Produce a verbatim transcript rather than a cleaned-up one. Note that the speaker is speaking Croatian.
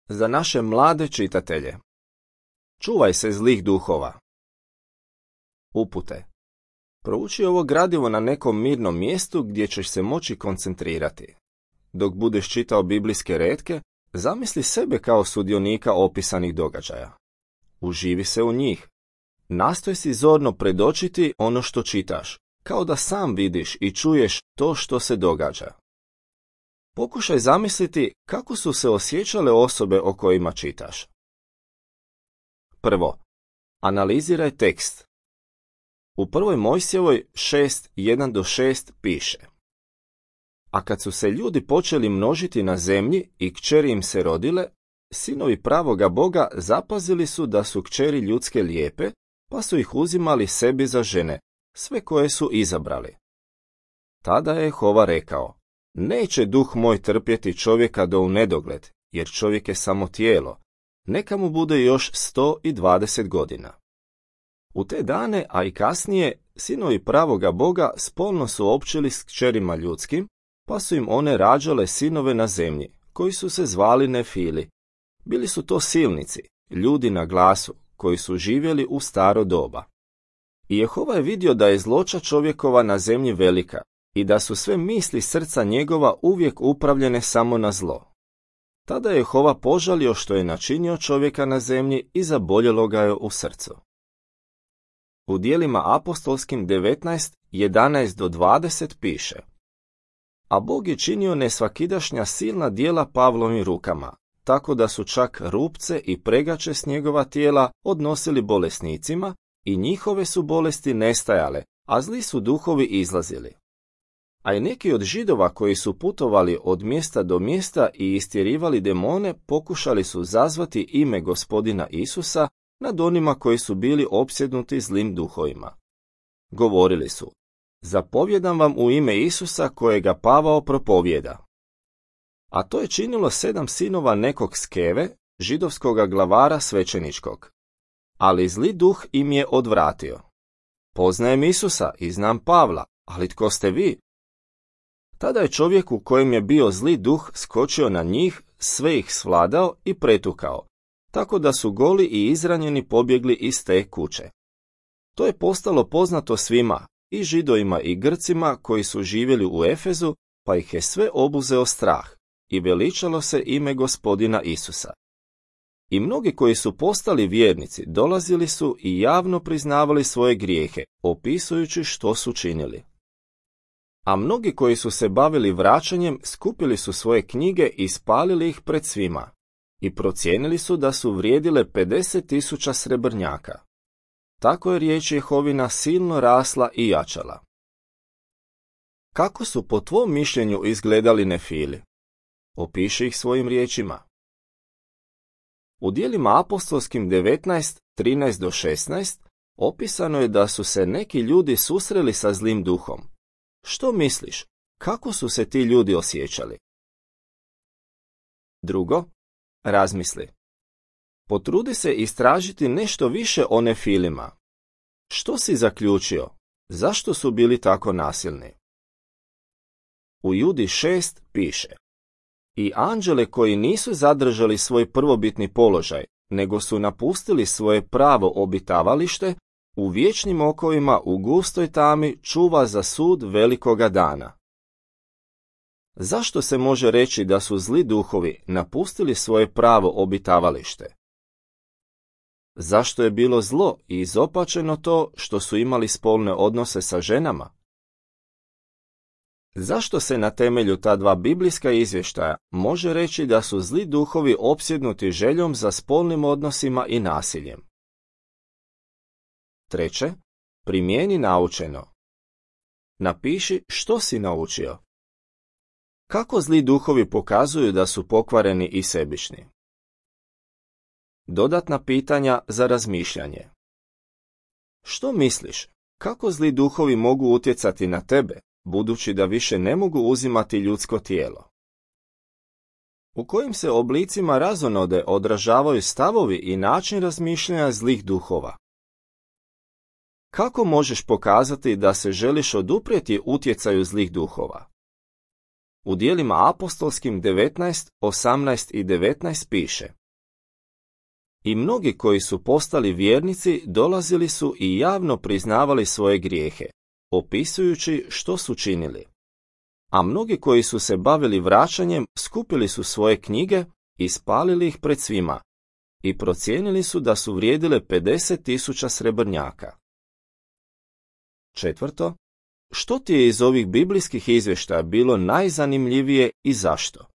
Za naše mlade čitatelje. Čuvaj se zlih duhova. Upute. Prouči ovo gradivo na nekom mirnom mjestu gdje ćeš se moći koncentrirati. Dok budeš čitao biblijske retke, zamisli sebe kao sudionika opisanih događaja. Uživi se u njih. Nastoj si zorno predočiti ono što čitaš, kao da sam vidiš i čuješ to što se događa. Pokušaj zamisliti kako su se osjećale osobe o kojima čitaš. Prvo, analiziraj tekst. U prvoj Mojsijevoj šest jedan do šest piše: A kad su se ljudi počeli množiti na zemlji i kćeri im se rodile, sinovi pravoga Boga zapazili su da su kćeri ljudske lijepe, pa su ih uzimali sebi za žene, sve koje su izabrali. Tada je Jehova rekao: Neće duh moj trpjeti čovjeka do u nedogled, jer čovjek je samo tijelo, neka mu bude još sto dvadeset godina. U te dane, a i kasnije, sinovi pravoga Boga spolno su općili s kćerima ljudskim, pa su im one rađale sinove na zemlji, koji su se zvali Nefili. Bili su to silnici, ljudi na glasu, koji su živjeli u staro doba. I Jehova je vidio da je zloća čovjekova na zemlji velika i da su sve misli srca njegova uvijek upravljene samo na zlo. Tada je Jehova požalio što je načinio čovjeka na zemlji i zaboljelo ga je u srcu. U djelima apostolskim devetnaest, jedanaest do dvadeset piše: A Bog je činio nesvakidašnja silna djela Pavlovim rukama, tako da su čak rupce i pregače s njegova tijela odnosili bolesnicima i njihove su bolesti nestajale, a zli su duhovi izlazili. A i neki od Židova koji su putovali od mjesta do mjesta i istjerivali demone pokušali su zazvati ime Gospodina Isusa nad onima koji su bili opsjednuti zlim duhovima. Govorili su: Zapovjedam vam u ime Isusa kojega Pavao propovjeda. A to je činilo sedam sinova nekog Skeve, židovskoga glavara svećeničkog. Ali zli duh im je odvratio. Poznajem Isusa i znam Pavla, ali tko ste vi? Tada je čovjek u kojem je bio zli duh skočio na njih, sve ih svladao i pretukao, tako da su goli i izranjeni pobjegli iz te kuće. To je postalo poznato svima, i Židovima i Grcima koji su živjeli u Efezu, pa ih je sve obuzeo strah i veličalo se ime Gospodina Isusa. I mnogi koji su postali vjernici dolazili su i javno priznavali svoje grijehe, opisujući što su činili. A mnogi koji su se bavili vraćanjem skupili su svoje knjige i spalili ih pred svima i procijenili su da su vrijedile pedeset tisuća srebrnjaka. Tako je riječ Jehovina silno rasla i jačala. Kako su po tvom mišljenju izgledali Nefili? Opiši ih svojim riječima. U djelima apostolskim devetnaest, trinaest do šesnaest opisano je da su se neki ljudi susreli sa zlim duhom. Što misliš, kako su se ti ljudi osjećali? Drugo, razmisli. Potrudi se istražiti nešto više o Nefilima. Što si zaključio? Zašto su bili tako nasilni? U Judi šest piše: I anđele koji nisu zadržali svoj prvobitni položaj, nego su napustili svoje pravo obitavalište, u vječnim okovima u gustoj tami čuva za sud velikoga dana. Zašto se može reći da su zli duhovi napustili svoje pravo obitavalište? Zašto je bilo zlo i izopačeno to što su imali spolne odnose sa ženama? Zašto se na temelju ta dva biblijska izvještaja može reći da su zli duhovi opsjednuti željom za spolnim odnosima i nasiljem? Treće, primijeni naučeno. Napiši što si naučio. Kako zli duhovi pokazuju da su pokvareni i sebični? Dodatna pitanja za razmišljanje. Što misliš, kako zli duhovi mogu utjecati na tebe, budući da više ne mogu uzimati ljudsko tijelo? U kojim se oblicima razonode odražavaju stavovi i način razmišljanja zlih duhova? Kako možeš pokazati da se želiš oduprijeti utjecaju zlih duhova? U dijelima apostolskim devetnaest, osamnaest i devetnaest piše: I mnogi koji su postali vjernici dolazili su i javno priznavali svoje grijehe, opisujući što su činili. A mnogi koji su se bavili vraćanjem skupili su svoje knjige i spalili ih pred svima i procijenili su da su vrijedile pedeset tisuća srebrnjaka. Četvrto, što ti je iz ovih biblijskih izvještaja bilo najzanimljivije i zašto?